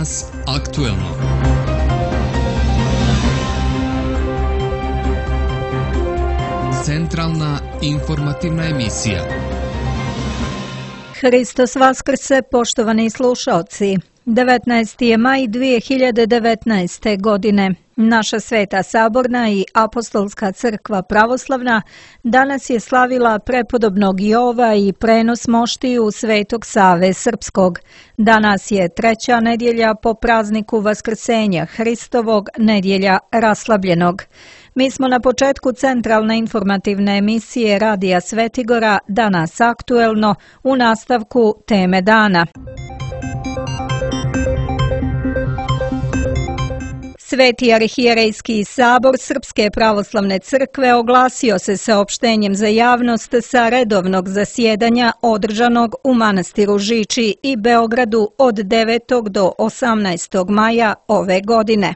Danas aktuelno. Centralna informativna emisija. Hristos vaskrse, poštovani slušaoci. 19. je maj 2019. godine. Naša Sveta Saborna i Apostolska crkva pravoslavna danas je slavila prepodobnog Jova i prenos moštiju Svetog Save Srpskog. Danas je treća nedjelja po prazniku Vaskrsenja Hristovog, nedjelja raslabljenog. Mi smo na početku centralne informativne emisije Radija Svetigora, Danas aktuelno, u nastavku teme dana. Sveti arhijerejski sabor Srpske pravoslavne crkve oglasio se saopštenjem za javnost sa redovnog zasjedanja održanog u manastiru Žiči i Beogradu od 9. do 18. maja ove godine.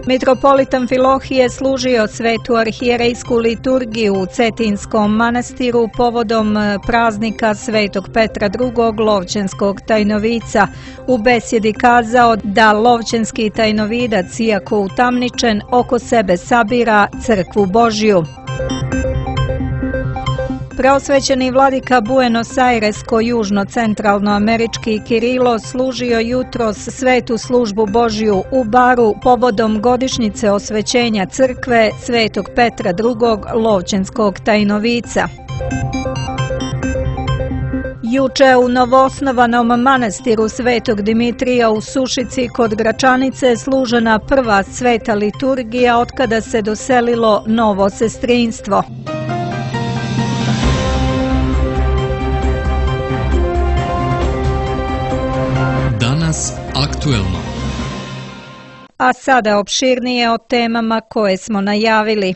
Mitropolit Amfilohije služio svetu arhijerejsku liturgiju u Cetinskom manastiru povodom praznika Svetog Petra II. Lovćenskog tajnovica. U besjedi kazao da lovćenski tajnovidac, iako utamničen, oko sebe sabira crkvu Božju. Preosvećeni vladika Buenos Airesko-južno-centralnoamerički Kirilo služio jutros svetu službu Božju u Baru povodom godišnjice osvećenja crkve Svetog Petra II. Lovćenskog tajnovica. Juče u novoosnovanom manastiru Svetog Dimitrija u Sušici kod Gračanice služena prva sveta liturgija otkada se doselilo novo sestrinstvo. Danas aktuelno. A sada opširnije o temama koje smo najavili.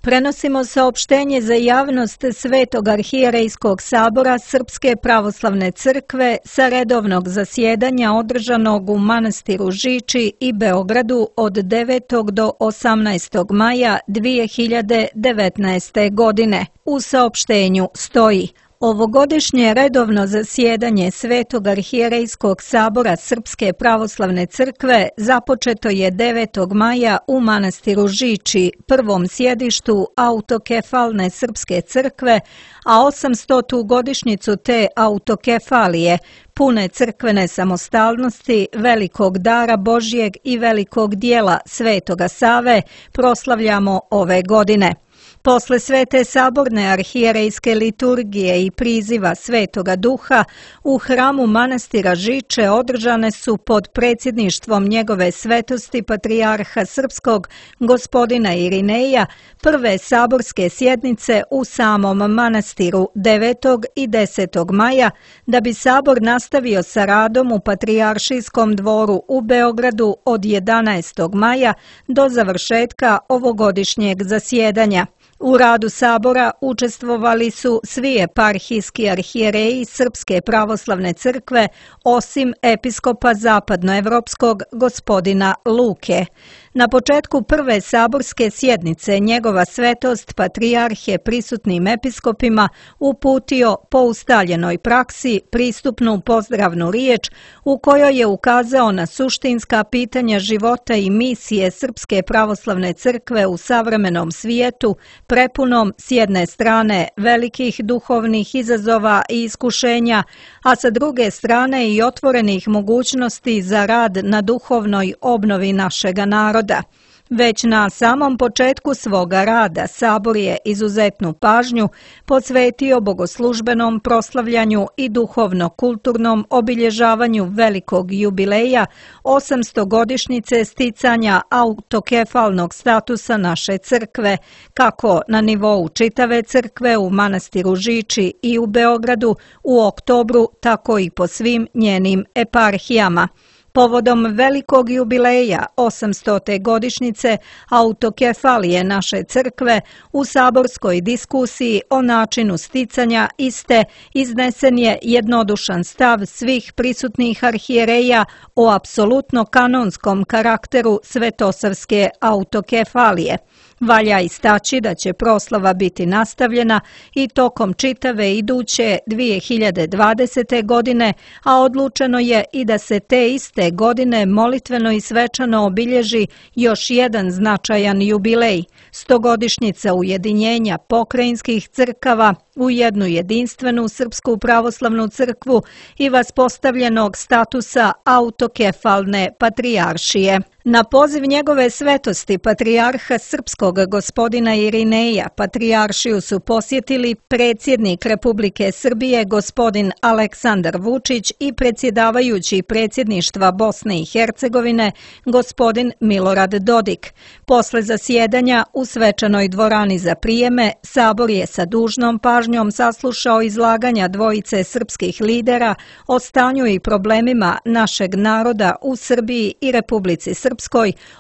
Prenosimo saopštenje za javnost Svetog arhijerejskog sabora Srpske pravoslavne crkve sa redovnog zasjedanja održanog u manastiru Žiči i Beogradu od 9. do 18. maja 2019. godine. U saopštenju stoji: ovogodišnje redovno zasjedanje Svetog arhijerejskog sabora Srpske pravoslavne crkve započeto je 9. maja u manastiru Žiči, prvom sjedištu autokefalne Srpske crkve, a 800. godišnjicu te autokefalije, pune crkvene samostalnosti, velikog dara Božjeg i velikog dijela Svetoga Save proslavljamo ove godine. Posle Svete saborne arhijerejske liturgije i priziva Svetoga Duha, u hramu manastira Žiče održane su pod predsjedništvom njegove svetosti patrijarha Srpskog, gospodina Irineja, prve saborske sjednice u samom manastiru 9. i 10. maja, da bi sabor nastavio sa radom u Patrijaršijskom dvoru u Beogradu od 11. maja do završetka ovogodišnjeg zasjedanja. U radu sabora učestvovali su svi eparhijski arhijereji Srpske pravoslavne crkve, osim episkopa zapadnoevropskog gospodina Luke. Na početku prve saborske sjednice njegova svetost patrijarh je prisutnim episkopima uputio po ustaljenoj praksi pristupnu pozdravnu riječ u kojoj je ukazao na suštinska pitanja života i misije Srpske pravoslavne crkve u savremenom svijetu, prepunom s jedne strane velikih duhovnih izazova i iskušenja, a sa druge strane i otvorenih mogućnosti za rad na duhovnoj obnovi našega naroda. Već na samom početku svoga rada sabor je izuzetnu pažnju posvetio bogoslužbenom proslavljanju i duhovno-kulturnom obilježavanju velikog jubileja 800 godišnjice sticanja autokefalnog statusa naše crkve, kako na nivou čitave crkve u manastiru Žiči i u Beogradu u oktobru, tako i po svim njenim eparhijama. Povodom velikog jubileja 800. godišnjice autokefalije naše crkve u saborskoj diskusiji o načinu sticanja iste iznesen je jednodušan stav svih prisutnih arhijereja o apsolutno kanonskom karakteru svetosavske autokefalije. Valja istaći da će proslava biti nastavljena i tokom čitave iduće 2020. godine, a odlučeno je i da se te iste godine molitveno i svečano obilježi još jedan značajan jubilej, 100-godišnjica ujedinjenja pokrajinskih crkava u jednu jedinstvenu Srpsku pravoslavnu crkvu i vaspostavljenog statusa autokefalne patrijaršije. Na poziv njegove svetosti patrijarha srpskog gospodina Irineja, patrijaršiju su posjetili predsjednik Republike Srbije gospodin Aleksandar Vučić i predsjedavajući predsjedništva Bosne i Hercegovine gospodin Milorad Dodik. Posle zasjedanja u svečanoj dvorani za prijeme, Sabor je sa dužnom pažnjom saslušao izlaganja dvojice srpskih lidera o stanju i problemima našeg naroda u Srbiji i Republici Srpskoj,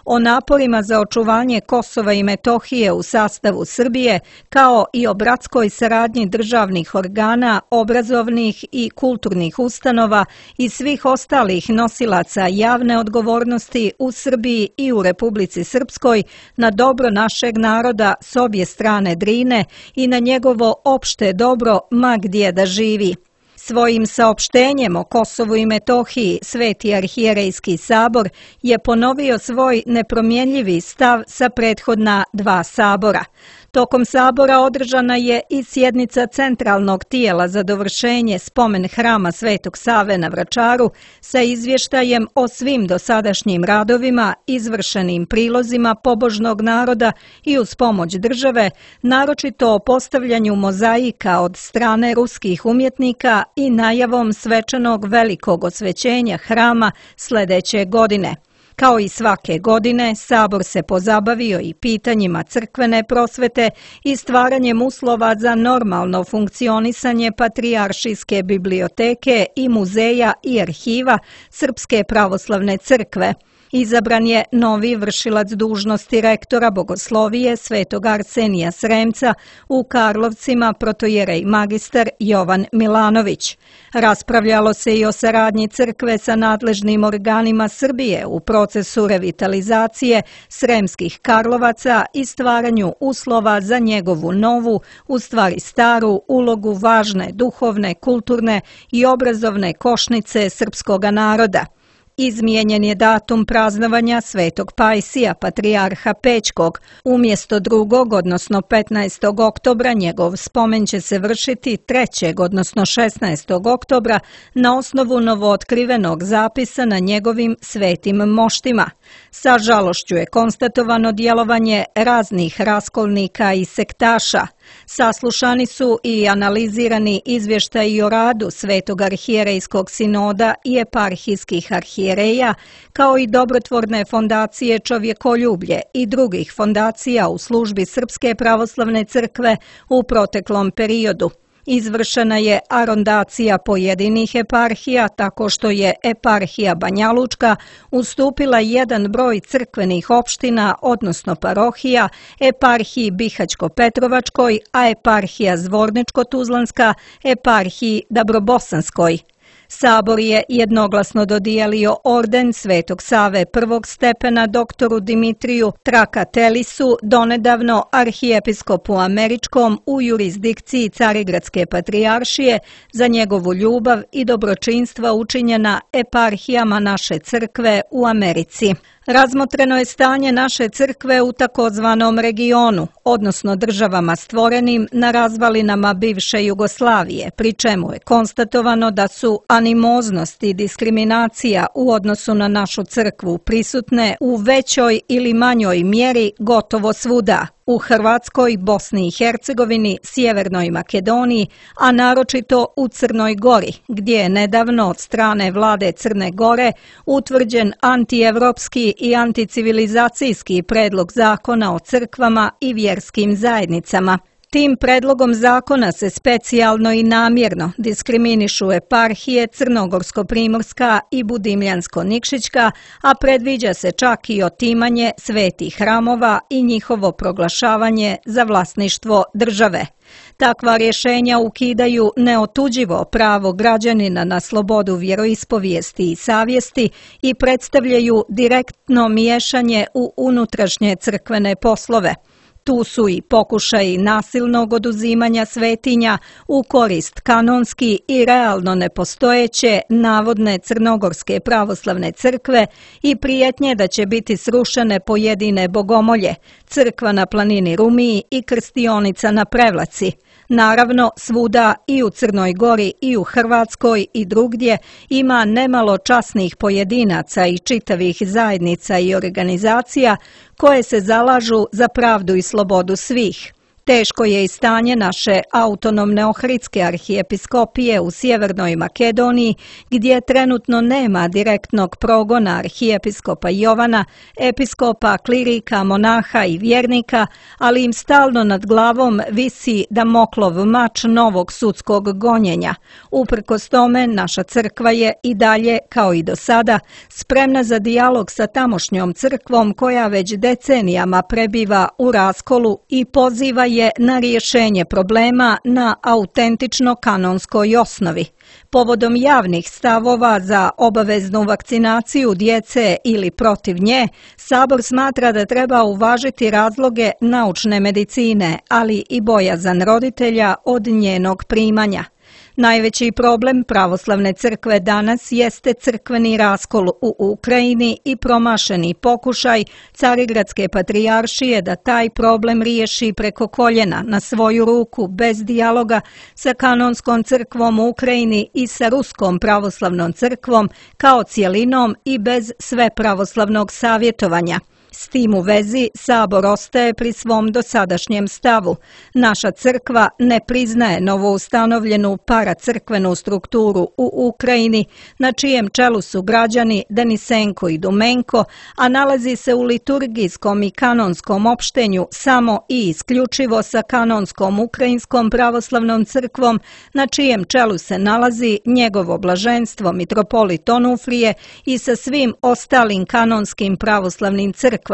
o naporima za očuvanje Kosova i Metohije u sastavu Srbije, kao i o bratskoj saradnji državnih organa, obrazovnih i kulturnih ustanova i svih ostalih nosilaca javne odgovornosti u Srbiji i u Republici Srpskoj na dobro našeg naroda s obje strane Drine i na njegovo opšte dobro ma gdje da živi. Svojim saopštenjem o Kosovu i Metohiji Sveti arhijerejski sabor je ponovio svoj nepromjenljivi stav sa prethodna dva sabora. Tokom sabora održana je i sjednica centralnog tijela za dovršenje spomen hrama Svetog Save na Vračaru sa izvještajem o svim dosadašnjim radovima, izvršenim prilozima pobožnog naroda i uz pomoć države, naročito o postavljanju mozaika od strane ruskih umjetnika i najavom svečanog velikog osvećenja hrama sljedeće godine. Kao i svake godine, Sabor se pozabavio i pitanjima crkvene prosvete i stvaranjem uslova za normalno funkcionisanje Patrijaršijske biblioteke i muzeja i arhiva Srpske pravoslavne crkve. Izabran je novi vršilac dužnosti rektora Bogoslovije Svetog Arsenija Sremca u Karlovcima protojerej magistar Jovan Milanović. Raspravljalo se i o saradnji crkve sa nadležnim organima Srbije u procesu revitalizacije Sremskih Karlovaca i stvaranju uslova za njegovu novu, u stvari staru, ulogu važne duhovne, kulturne i obrazovne košnice srpskoga naroda. Izmijenjen je datum praznovanja Svetog Pajsija, patrijarha Pećkog. Umjesto 2. odnosno 15. oktobra njegov spomen će se vršiti 3. odnosno 16. oktobra na osnovu novootkrivenog zapisa na njegovim svetim moštima. Sa žalošću je konstatovano djelovanje raznih raskolnika i sektaša. Saslušani su i analizirani izvještaji o radu Svetog arhijerejskog sinoda i eparhijskih arhijereja, kao i dobrotvorne fondacije Čovjekoljublje i drugih fondacija u službi Srpske pravoslavne crkve u proteklom periodu. Izvršena je arondacija pojedinih eparhija tako što je eparhija Banjalučka ustupila jedan broj crkvenih opština, odnosno parohija, eparhiji Bihać-Petrovačkoj, a eparhija Zvorničko-Tuzlanska eparhiji Dabrobosanskoj. Sabor je jednoglasno dodijelio orden Svetog Save prvog stepena doktoru Dimitriju Trakatelisu, donedavno arhijepiskopu američkom u jurisdikciji Carigradske patrijaršije, za njegovu ljubav i dobročinstva učinjena eparhijama naše crkve u Americi. Razmotreno je stanje naše crkve u takozvanom regionu, odnosno državama stvorenim na razvalinama bivše Jugoslavije, pri čemu je konstatovano da su animoznost i diskriminacija u odnosu na našu crkvu prisutne u većoj ili manjoj mjeri gotovo svuda. U Hrvatskoj, Bosni i Hercegovini, Sjevernoj Makedoniji, a naročito u Crnoj Gori, gdje je nedavno od strane vlade Crne Gore utvrđen antievropski i anticivilizacijski predlog zakona o crkvama i vjerskim zajednicama. Tim predlogom zakona se specijalno i namjerno diskriminišu eparhije Crnogorsko-Primorska i Budimljansko-Nikšićka, a predviđa se čak i otimanje svetih hramova i njihovo proglašavanje za vlasništvo države. Takva rješenja ukidaju neotuđivo pravo građanina na slobodu vjeroispovijesti i savjesti i predstavljaju direktno miješanje u unutrašnje crkvene poslove. Tu su i pokušaji nasilnog oduzimanja svetinja u korist kanonski i realno nepostojeće navodne Crnogorske pravoslavne crkve i prijetnje da će biti srušene pojedine bogomolje, crkva na planini Rumiji i krstionica na Prevlaci. Naravno, svuda i u Crnoj Gori i u Hrvatskoj i drugdje ima nemalo časnih pojedinaca i čitavih zajednica i organizacija koje se zalažu za pravdu i slobodu svih. Teško je i stanje naše autonomne Ohridske arhijepiskopije u Sjevernoj Makedoniji, gdje trenutno nema direktnog progona arhijepiskopa Jovana, episkopa, klirika, monaha i vjernika, ali im stalno nad glavom visi Damoklov mač novog sudskog gonjenja. Uprkos tome, naša crkva je i dalje, kao i do sada, spremna za dijalog sa tamošnjom crkvom koja već decenijama prebiva u raskolu i poziva je na rješenje problema na autentično kanonskoj osnovi. Povodom javnih stavova za obaveznu vakcinaciju djece ili protiv nje, Sabor smatra da treba uvažiti razloge naučne medicine, ali i bojazan roditelja od njenog primanja. Najveći problem pravoslavne crkve danas jeste crkveni raskol u Ukrajini i promašeni pokušaj Carigradske patrijaršije da taj problem riješi preko koljena na svoju ruku bez dijaloga sa kanonskom crkvom u Ukrajini i sa Ruskom pravoslavnom crkvom kao cjelinom i bez svepravoslavnog savjetovanja. S tim u vezi Sabor ostaje pri svom dosadašnjem stavu. Naša crkva ne priznaje novoustanovljenu paracrkvenu strukturu u Ukrajini, na čijem čelu su građani Denisenko i Dumenko, a nalazi se u liturgijskom i kanonskom opštenju samo i isključivo sa kanonskom Ukrajinskom pravoslavnom crkvom, na čijem čelu se nalazi njegovo blaženstvo mitropolit Onufrije i sa svim ostalim kanonskim pravoslavnim crkvama.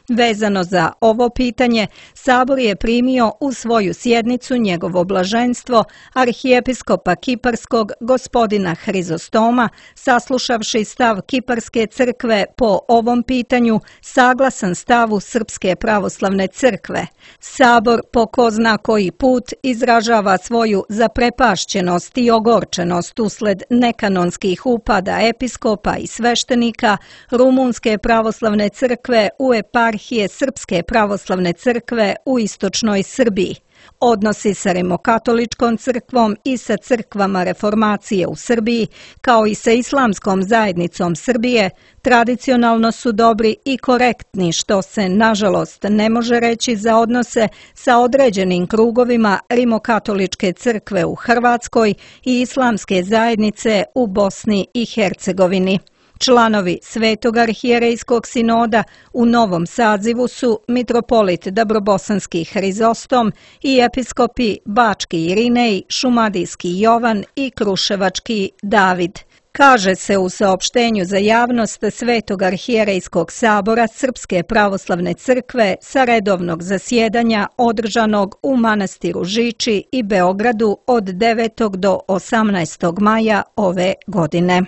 Vezano za ovo pitanje, Sabor je primio u svoju sjednicu njegovo blaženstvo arhijepiskopa Kiparskog gospodina Hrizostoma, saslušavši stav Kiparske crkve po ovom pitanju saglasan stavu Srpske pravoslavne crkve. Sabor po ko zna koji put izražava svoju zaprepašćenost i ogorčenost usled nekanonskih upada episkopa i sveštenika Rumunske pravoslavne crkve u eparhije Srpske pravoslavne crkve u istočnoj Srbiji. Odnosi sa Rimokatoličkom crkvom i sa crkvama reformacije u Srbiji, kao i sa Islamskom zajednicom Srbije, tradicionalno su dobri i korektni, što se, nažalost, ne može reći za odnose sa određenim krugovima Rimokatoličke crkve u Hrvatskoj i Islamske zajednice u Bosni i Hercegovini. Članovi Svetog arhijerejskog sinoda u novom sazivu su mitropolit Dabrobosanski Hrizostom i episkopi Bački Irinej, Šumadijski Jovan i Kruševački David. Kaže se u saopštenju za javnost Svetog arhijerejskog sabora Srpske pravoslavne crkve sa redovnog zasjedanja održanog u manastiru Žiči i Beogradu od 9. do 18. maja ove godine.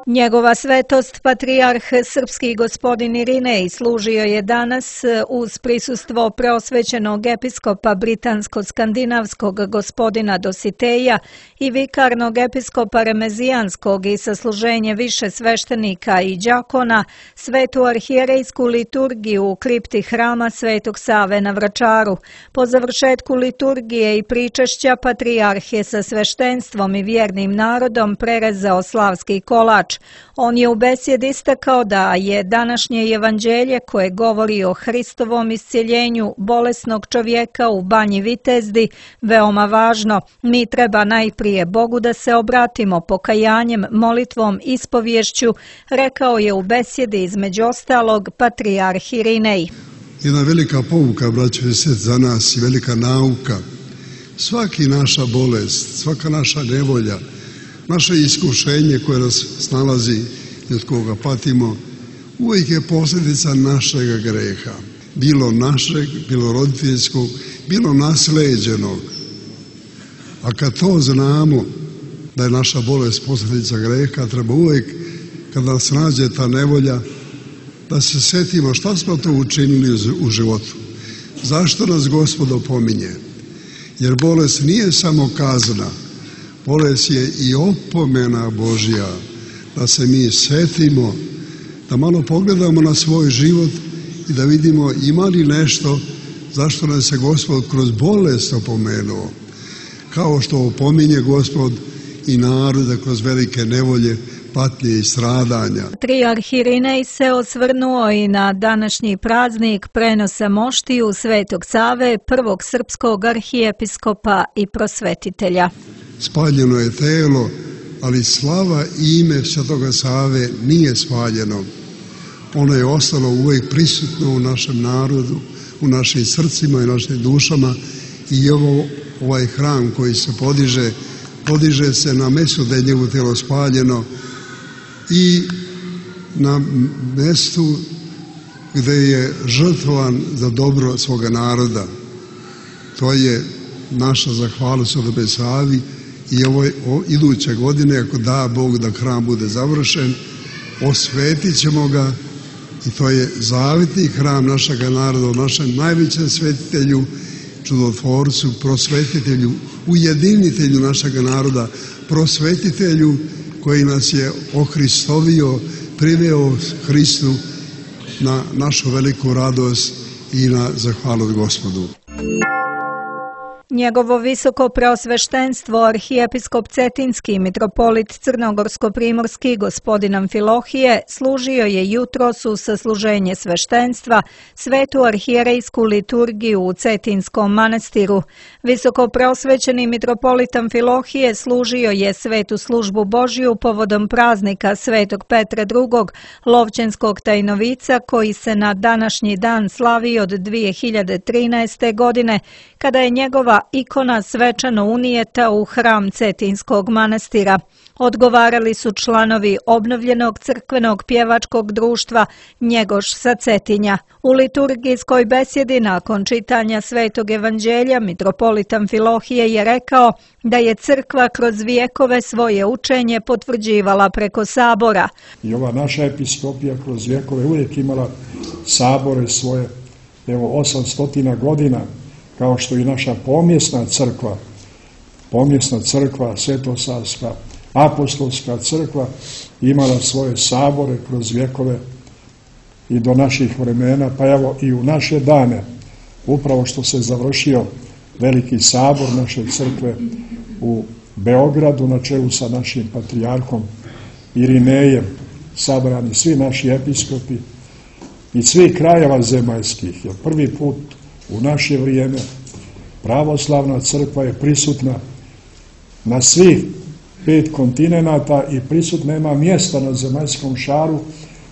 Njegova svetost, patrijarh srpski gospodin Irinej, služio je danas uz prisustvo preosvećenog episkopa britansko-skandinavskog gospodina Dositeja i vikarnog episkopa remezijanskog i sasluženje više sveštenika i đakona, svetu arhijerejsku liturgiju u kripti hrama Svetog Save na Vračaru. Po završetku liturgije i pričešća, patrijarh je sa sveštenstvom i vjernim narodom prerezao slavski kolač. On je u besjedi istakao da je današnje evanđelje koje govori o Hristovom iscjeljenju bolesnog čovjeka u Banji Vitezdi veoma važno. Mi treba najprije Bogu da se obratimo pokajanjem, molitvom, ispovješću, rekao je u besjedi između ostalog patrijarh Irinej. Jedna velika pouka, braćo i sestre, za nas i velika nauka. Svaki naša bolest, svaka naša nevolja, naše iskušenje koje nas snalazi i od koga patimo, uvijek je posljedica našega greha. Bilo našeg, bilo roditeljskog, bilo nasleđenog. A kad to znamo, da je naša bolest posljedica greha, treba uvijek, kad nas nađe ta nevolja, da se setimo šta smo to učinili u životu. Zašto nas Gospod opominje? Jer bolest nije samo kazna, bolest je i opomena Božja, da se mi setimo, da malo pogledamo na svoj život i da vidimo ima li nešto zašto nas je Gospod kroz bolest opomenuo, kao što opominje Gospod i naroda kroz velike nevolje, patnje i stradanja. Patrijarh Irinej se osvrnuo i na današnji praznik prenosa moštiju Svetog Save, prvog srpskog arhijepiskopa i prosvetitelja. Spaljeno je telo, ali slava i ime Svetoga Save nije spaljeno. Ono je ostalo uvijek prisutno u našem narodu, u našim srcima i našim dušama i ovaj hram koji se podiže se na mjestu da je njegovo telo spaljeno i na mjestu gdje je žrtvovan za dobro svoga naroda. To je naša zahvalnost Svetome Savi i iduće godine, ako da Bog da hram bude završen, osvetit ćemo ga i to je zavitni hram našega naroda, našem najvećem svetitelju, čudotvorcu, prosvetitelju, ujedinitelju našega naroda, prosvetitelju koji nas je ohristovio, priveo Hristu na našu veliku radost i na zahvalu Gospodu. Njegovo visoko preosveštenstvo arhijepiskop Cetinski mitropolit Crnogorsko-primorski gospodin Amfilohije služio je jutros u sasluženje sveštenstva svetu arhijerejsku liturgiju u Cetinskom manastiru. Visoko preosvećeni mitropolit Amfilohije služio je svetu službu Božju povodom praznika Svetog Petra II. Lovćenskog tajnovica koji se na današnji dan slavi od 2013. godine, kada je njegova ikona svečano unijeta u hram Cetinskog manastira. Odgovarali su članovi obnovljenog crkvenog pjevačkog društva Njegoš sa Cetinja. U liturgijskoj besjedi nakon čitanja Svetog evanđelja mitropolit Amfilohije je rekao da je crkva kroz vijekove svoje učenje potvrđivala preko sabora. I ova naša episkopija kroz vijekove uvijek imala sabore svoje, 800 godina, kao što i naša pomjesna crkva, Svetosavska, apostolska crkva, imala svoje sabore kroz vjekove i do naših vremena, pa evo i u naše dane, upravo što se završio veliki sabor naše crkve u Beogradu na čelu sa našim patrijarhom Irinejem, sabrani svi naši episkopi iz svih krajeva zemaljskih, jer prvi put u naše vrijeme pravoslavna crkva je prisutna na svih 5 kontinenata i prisutna ima mjesta na zemaljskom šaru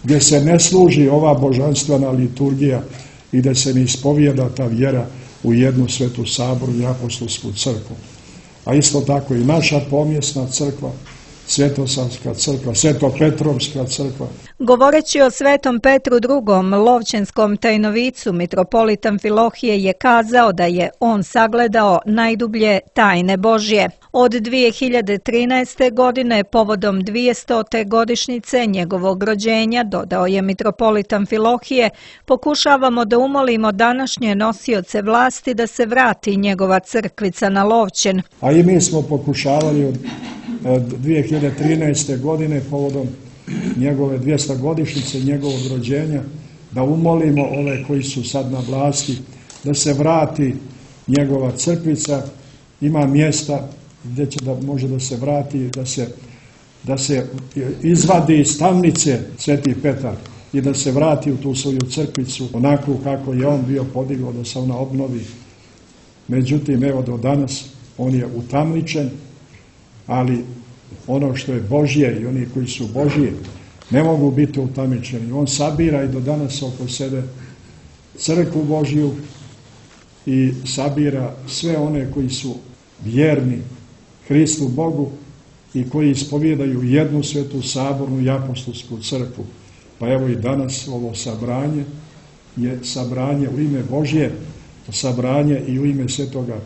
gdje se ne služi ova božanstvena liturgija i da se ne ispovijeda ta vjera u jednu svetu saboru i apostolsku crkvu. A isto tako i naša pomjesna crkva, Svetosavska crkva, Svetopetrovska crkva. Govoreći o Svetom Petru II. Lovćenskom tajnovicu, mitropolit Amfilohije je kazao da je on sagledao najdublje tajne Božje. Od 2013. godine, povodom 200. godišnjice njegovog rođenja, dodao je mitropolit Amfilohije, pokušavamo da umolimo današnje nosioce vlasti da se vrati njegova crkvica na Lovćen. A i mi smo pokušavali od 2013. godine povodom njegove 200. godišnjice njegovog rođenja da umolimo ove koji su sad na vlasti da se vrati njegova crkvica, ima mjesta gdje će da može da se vrati, da se izvadi iz tamnice Sveti Petar i da se vrati u tu svoju crkvicu onako kako je on bio podigao, da se ona obnovi. Međutim, evo do danas on je utamničen, ali ono što je Božje i oni koji su Božji ne mogu biti utamničeni. On sabira i do danas oko sebe crkvu Božju i sabira sve one koji su vjerni Hristu Bogu i koji ispovjedaju jednu svetu sabornu i apostolsku crkvu. Pa evo i danas ovo sabranje je sabranje u ime Božje, sabranje i u ime svetoga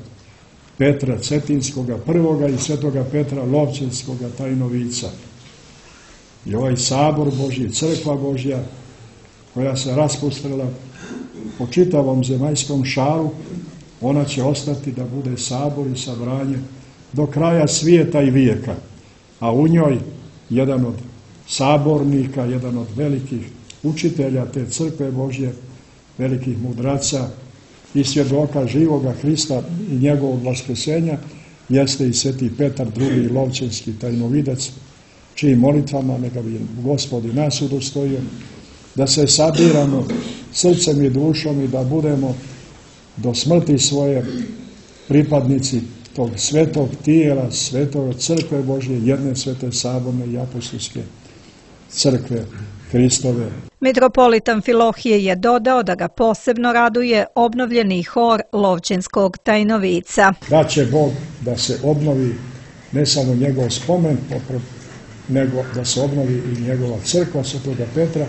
Petra Cetinskoga prvoga i svetoga Petra Lovćenskoga tajnovica. I ovaj sabor Božji, crkva Božja koja se raspustrila po čitavom zemaljskom šaru, ona će ostati da bude sabor i sabranje do kraja svijeta i vijeka. A u njoj jedan od sabornika, jedan od velikih učitelja te crkve Božje, velikih mudraca i svjedoka živoga Hrista i njegovog vaskrsenja, jeste i sveti Petar II. Lovćenski tajnovidac, čijim molitvama neka bi Gospod i nas udostojio da se sabiramo srcem i dušom i da budemo do smrti svoje pripadnici tog svetog tijela, svetog crkve Božje, jedne svete saborne i apostolske crkve Hristove. Mitropolit Amfilohije je dodao da ga posebno raduje obnovljeni hor Lovćenskog tajnovica. Da će Bog da se obnovi ne samo njegov spomen, nego da se obnovi i njegova crkva svetoga Petra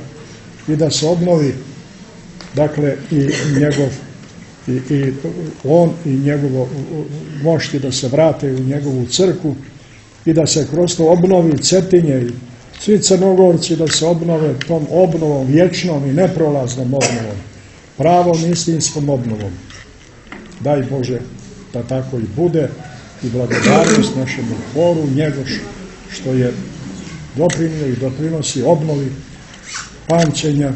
i da se obnovi, dakle, i njegov i on i njegovo mošti da se vrate u njegovu crkvu i da se kroz to obnovi Cetinje i svi Crnogorci da se obnove tom obnovom vječnom i neprolaznom obnovom, pravom istinskom obnovom. Daj Bože da tako i bude i blagodarnost našemu horu, njegov što je doprinio i doprinosi obnovi pamćenja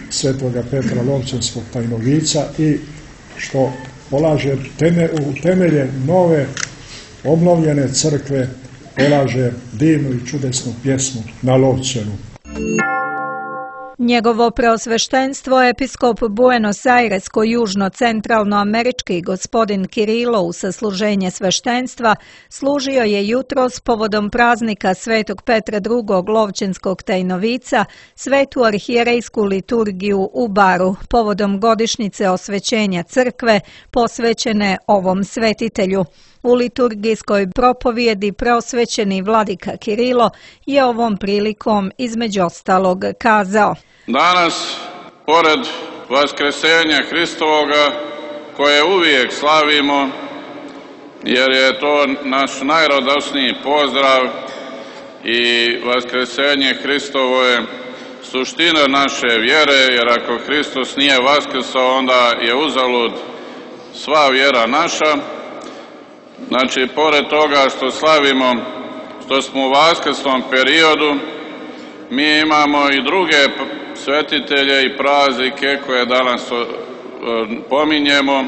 svetoga Petra Lovćenskog tajnovica i što polaže u temelje nove obnovljene crkve, polaže divnu i čudesnu pjesmu na Lovćenu. Njegovo preosveštenstvo episkop Buenos Airesko-južno-centralnoamerički gospodin Kirilo u sasluženje sveštenstva služio je jutros povodom praznika svetog Petra II. Lovćenskog tajnovica svetu arhijerejsku liturgiju u Baru povodom godišnjice osvećenja crkve posvećene ovom svetitelju. U liturgijskoj propovjedi preosvećeni vladika Kirilo je ovom prilikom između ostalog kazao: Danas, pored vaskresenja Hristovoga, koje uvijek slavimo, jer je to naš najradosniji pozdrav i vaskresenje Hristovo je suština naše vjere, jer ako Hristos nije vaskrsao, onda je uzalud sva vjera naša. Znači, pored toga što slavimo, što smo u vaskrsnom periodu, mi imamo i druge svetitelje i praznike koje danas pominjemo,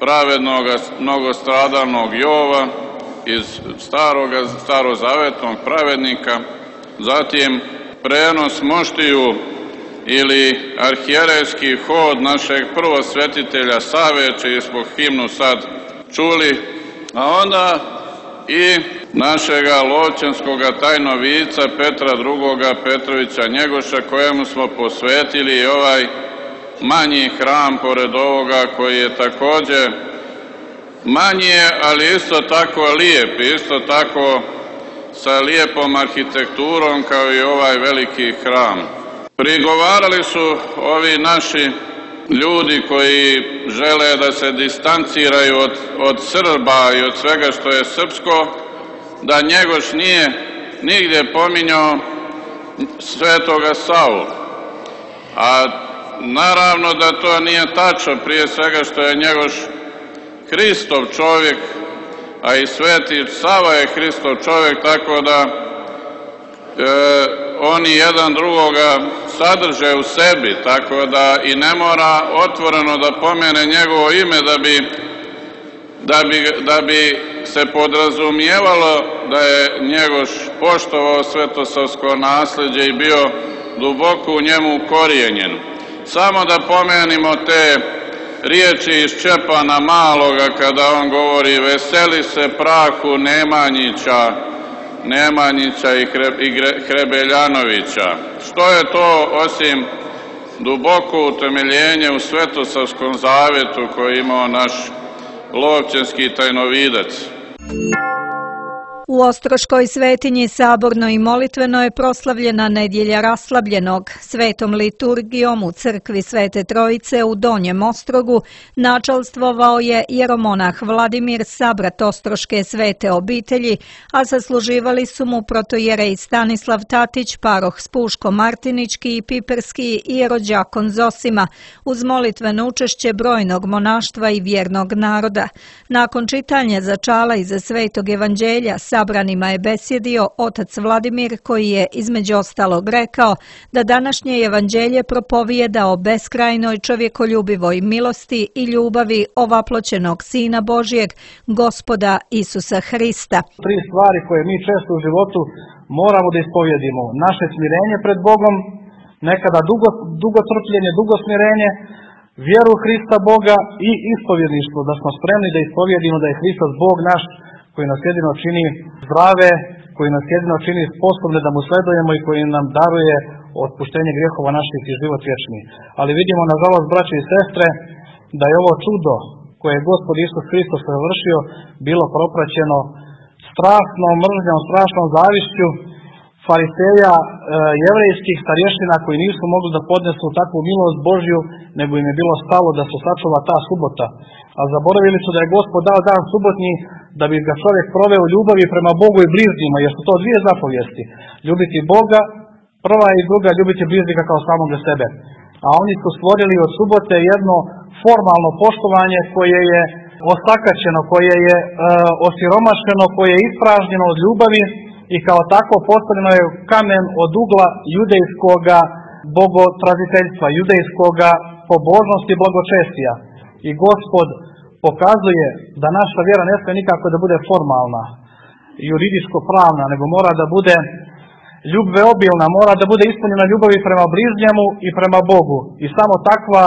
pravednog, mnogostradalnog Jova iz starozavetnog pravednika, zatim prenos moštiju ili arhijerejski hod našeg prvosvetitelja Save, čiji smo himnu sad čuli, a onda i našega Lovćenskoga tajnovica Petra II. Petrovića Njegoša, kojemu smo posvetili i ovaj manji hram pored ovoga, koji je također manji, ali isto tako lijep, isto tako sa lijepom arhitekturom kao i ovaj veliki hram. Prigovarali su ovi naši ljudi koji žele da se distanciraju od Srba i od svega što je srpsko, da Njegoš nije nigdje pominjao svetoga Savu. A naravno da to nije tačno, prije svega što je Njegoš Hristov čovjek, a i sveti Sava je Hristov čovjek, tako da oni jedan drugoga sadrže u sebi, tako da i ne mora otvoreno da pomene njegovo ime da bi se podrazumijevalo da je Njegoš poštovao svetosavsko nasljeđe i bio duboko u njemu ukorijenjen. Samo da pomenimo te riječi iz Čepana Maloga kada on govori: veseli se prahu Nemanjića i Hrebeljanovića. Što je to osim duboko utemeljenje u Svetosavskom zavetu koji imao naš Lovćenski tajnovidac? U Ostroškoj svetinji saborno i molitveno je proslavljena nedjelja Raslabljenog. Svetom liturgijom u crkvi Svete Trojice u Donjem Ostrogu načalstvovao je jeromonah Vladimir, sabrat Ostroške svete obitelji, a sasluživali su mu protojerej Stanislav Tatić, paroh Spuško Martinički i Piperski i jerođakon Zosima, uz molitveno učešće brojnog monaštva i vjernog naroda. Nakon čitanja začala iza Svetog evanđelja sabranima je besjedio otac Vladimir, koji je između ostalog rekao da današnje evanđelje propovijeda o beskrajnoj čovjekoljubivoj milosti i ljubavi ovaploćenog Sina Božjeg, Gospoda Isusa Hrista. 3 stvari koje mi često u životu moramo da ispovjedimo. Naše smirenje pred Bogom, nekada dugo trpljenje, dugo smirenje, vjeru Hrista Boga i ispovjedništvo, da smo spremni da ispovjedimo da je Hristos Bog naš, koji nas jedino čini zdrave, koji nas jedino čini sposobne da mu sledujemo i koji nam daruje otpuštenje grijehova naših i život vječni. Ali vidimo, nažalost, braće i sestre, da je ovo čudo koje je Gospod Isus Hristos završio bilo propraćeno strašnom mržnjom, strašnom zavišću fariseja, jevrejskih starješina koji nisu mogli da podnesu takvu milost Božju, nego im je bilo stalo da se sačuva ta subota. A zaboravili su da je Gospod dao dan subotnji da bi ga čovjek proveo u ljubavi prema Bogu i bližnjima, jer su to 2 zapovijesti. Ljubiti Boga, prva i druga, ljubiti bližnjega kao samoga sebe. A oni su stvorili od subote jedno formalno poštovanje koje je osakaćeno, koje je osiromašeno, koje je ispražnjeno od ljubavi i kao takvo postavljeno je kamen od ugla judejskoga bogotraziteljstva, judejskoga pobožnosti i blagočestija. I Gospod pokazuje da naša vjera ne smije nikako da bude formalna, juridičko-pravna, nego mora da bude ljubveobilna, mora da bude ispunjena ljubavi prema bližnjemu i prema Bogu. I samo takva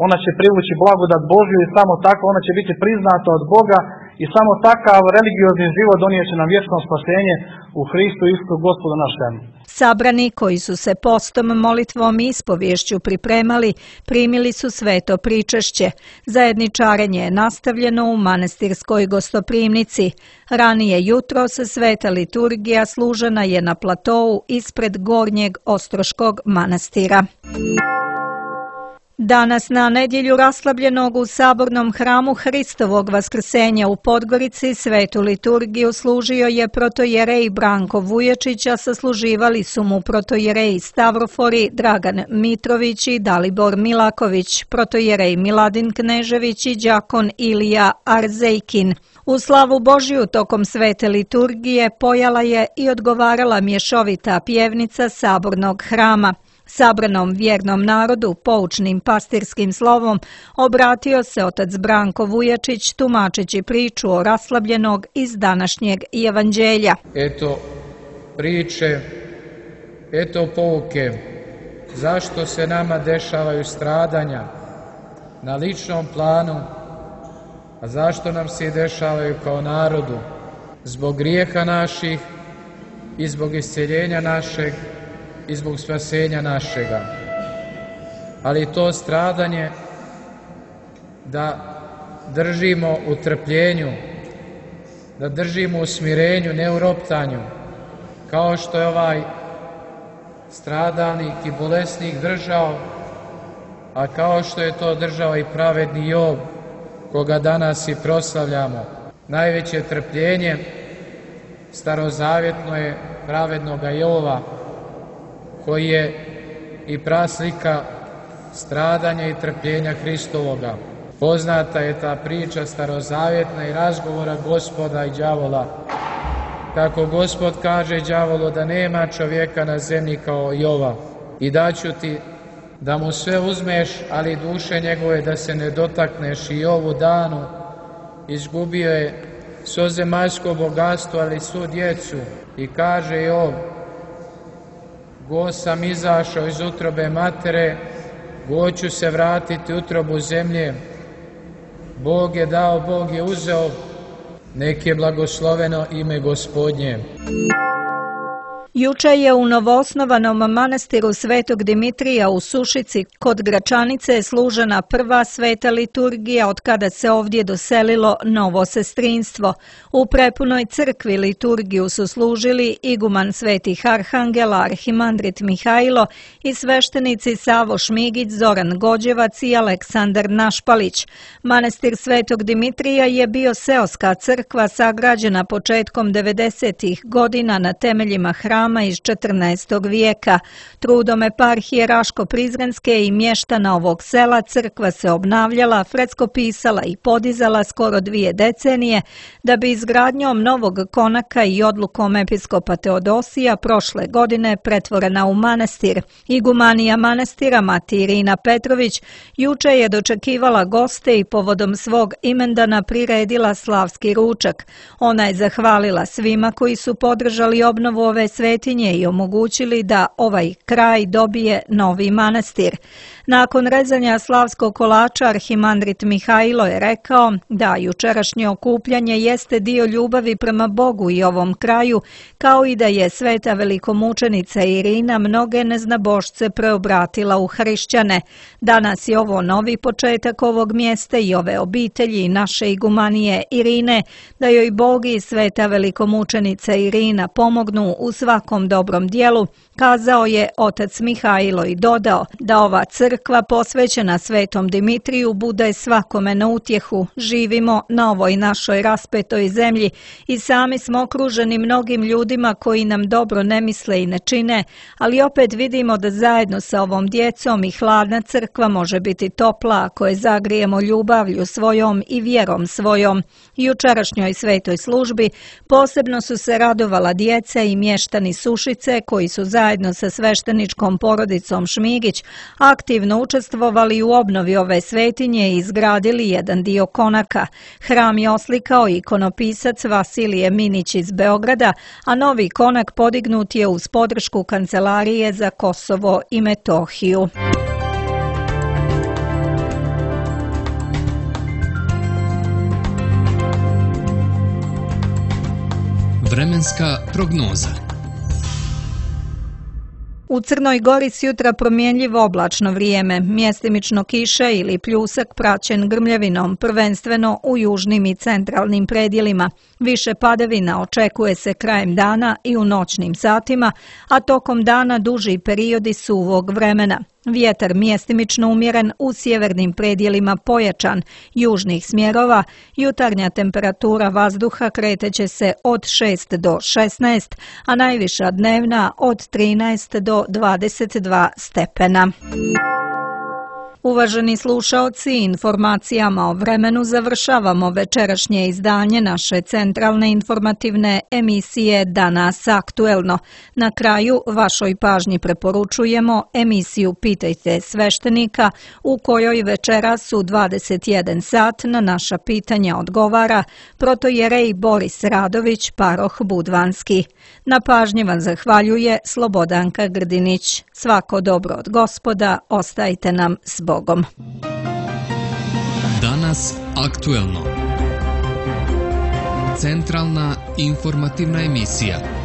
ona će privući blagodat Božju i samo takva ona će biti priznata od Boga i samo takav religiozni život donijet će nam vječno spasenje u Hristu Isusu Gospodu našem. Sabrani koji su se postom, molitvom i ispovješću pripremali, primili su sveto pričešće. Zajedničarenje je nastavljeno u manastirskoj gostoprimnici. Ranije jutros sveta liturgija služena je na platou ispred Gornjeg Ostroškog manastira. Danas na nedjelju Raslabljenog u sabornom hramu Hristovog Vaskrsenja u Podgorici svetu liturgiju služio je protojerej Branko Vuječić, a sasluživali su mu protojerej Stavrofori Dragan Mitrović i Dalibor Milaković, protojerej Miladin Knežević i đakon Ilija Arzejkin. U slavu Božju tokom svete liturgije pojala je i odgovarala mješovita pjevnica sabornog hrama. Sabranom vjernom narodu poučnim pastirskim slovom obratio se otac Branko Vujačić tumačeći priču o Raslabljenog iz današnjeg evanđelja. Eto priče, eto pouke, zašto se nama dešavaju stradanja na ličnom planu, a zašto nam se dešavaju kao narodu, zbog grijeha naših i zbog isceljenja našeg i zbog spasenja našega. Ali to stradanje da držimo u trpljenju, da držimo u smirenju, ne u roptanju, kao što je ovaj stradalnik i bolesnik držao, a kao što je to držao i pravedni Jov, koga danas i proslavljamo. Najveće trpljenje starozavjetno je pravednoga Jova, koji je i praslika stradanja i trpljenja Hristovoga. Poznata je ta priča starozavjetna i razgovora Gospoda i đavola. Kako Gospod kaže đavolu da nema čovjeka na zemlji kao Jova i daću ti da mu sve uzmeš, ali duše njegove da se ne dotakneš. I ovu danu izgubio je svo zemaljsko bogatstvo, ali svu djecu. I kaže Jov, go sam izašao iz utrobe matere, go ću se vratiti u utrobu zemlje. Bog je dao, Bog je uzeo, nek je blagosloveno ime Gospodnje. Juče je u novoosnovanom manastiru Svetog Dimitrija u Sušici kod Gračanice služena prva sveta liturgija od kada se ovdje doselilo novo sestrinstvo. U prepunoj crkvi liturgiju su služili iguman svetih arhangela arhimandrit Mihajlo i sveštenici Savo Šmigić, Zoran Gođevac i Aleksandar Našpalić. Manastir Svetog Dimitrija je bio seoska crkva sagrađena početkom 90. godina na temeljima hrama iz 14. vijeka. Trudom eparhije Raško-Prizrenske i mještana ovog sela crkva se obnavljala, freckopisala i podizala skoro 2 decenije, da bi izgradnjom novog konaka i odlukom episkopa Teodosija prošle godine pretvorena u manastir. Igumanija manastira Mati Irina Petrović juče je dočekivala goste i povodom svog imendana priredila slavski ručak. Ona je zahvalila svima koji su podržali obnovu ove svetinje i omogućili da ovaj kraj dobije novi manastir. Nakon rezanja slavskog kolača arhimandrit Mihajlo je rekao da jučerašnje okupljanje jeste dio ljubavi prema Bogu i ovom kraju, kao i da je sveta velikomučenica Irina mnoge neznabošce preobratila u hrišćane. Danas je ovo novi početak ovog mjesta i ove obitelji naše igumanije Irine, da joj Bog i sveta velikomučenica Irina pomognu u svakom dobrom dijelu, kazao je otac Mihajlo i dodao da ova crkva posvećena Svetom Dimitriju bude svakome na utjehu. Živimo na ovoj našoj raspetoj zemlji i sami smo okruženi mnogim ljudima koji nam dobro ne misle i ne čine, ali opet vidimo da zajedno sa ovom djecom i hladna crkva može biti topla ako je zagrijemo ljubavlju svojom i vjerom svojom. Jučerašnjoj svetoj službi posebno su se radovala djeca i mještani Sušice koji su zajedno sa svešteničkom porodicom Šmigić aktivno učestvovali u obnovi ove svetinje i izgradili jedan dio konaka. Hram je oslikao ikonopisac Vasilije Minić iz Beograda, a novi konak podignut je uz podršku Kancelarije za Kosovo i Metohiju. Vremenska prognoza. U Crnoj Gori sjutra promjenljivo oblačno vrijeme, mjestimično kiša ili pljusak praćen grmljavinom, prvenstveno u južnim i centralnim predjelima. Više padavina očekuje se krajem dana i u noćnim satima, a tokom dana duži periodi suvog vremena. Vjetar mjestimično umjeren, u sjevernim predjelima pojačan, južnih smjerova, jutarnja temperatura vazduha kreteće se od 6 do 16, a najviša dnevna od 13 do 22 stepena. Uvaženi slušaoci, informacijama o vremenu završavamo večerašnje izdanje naše centralne informativne emisije Danas aktuelno. Na kraju vašoj pažnji preporučujemo emisiju Pitajte sveštenika, u kojoj večeras u 21 sat na naša pitanja odgovara protojerej Boris Radović, paroh Budvanski. Na pažnji vam zahvaljuje Slobodanka Grdinić. Svako dobro od Gospoda, ostajte nam s Bogom. Danas aktuelno. Centralna informativna emisija.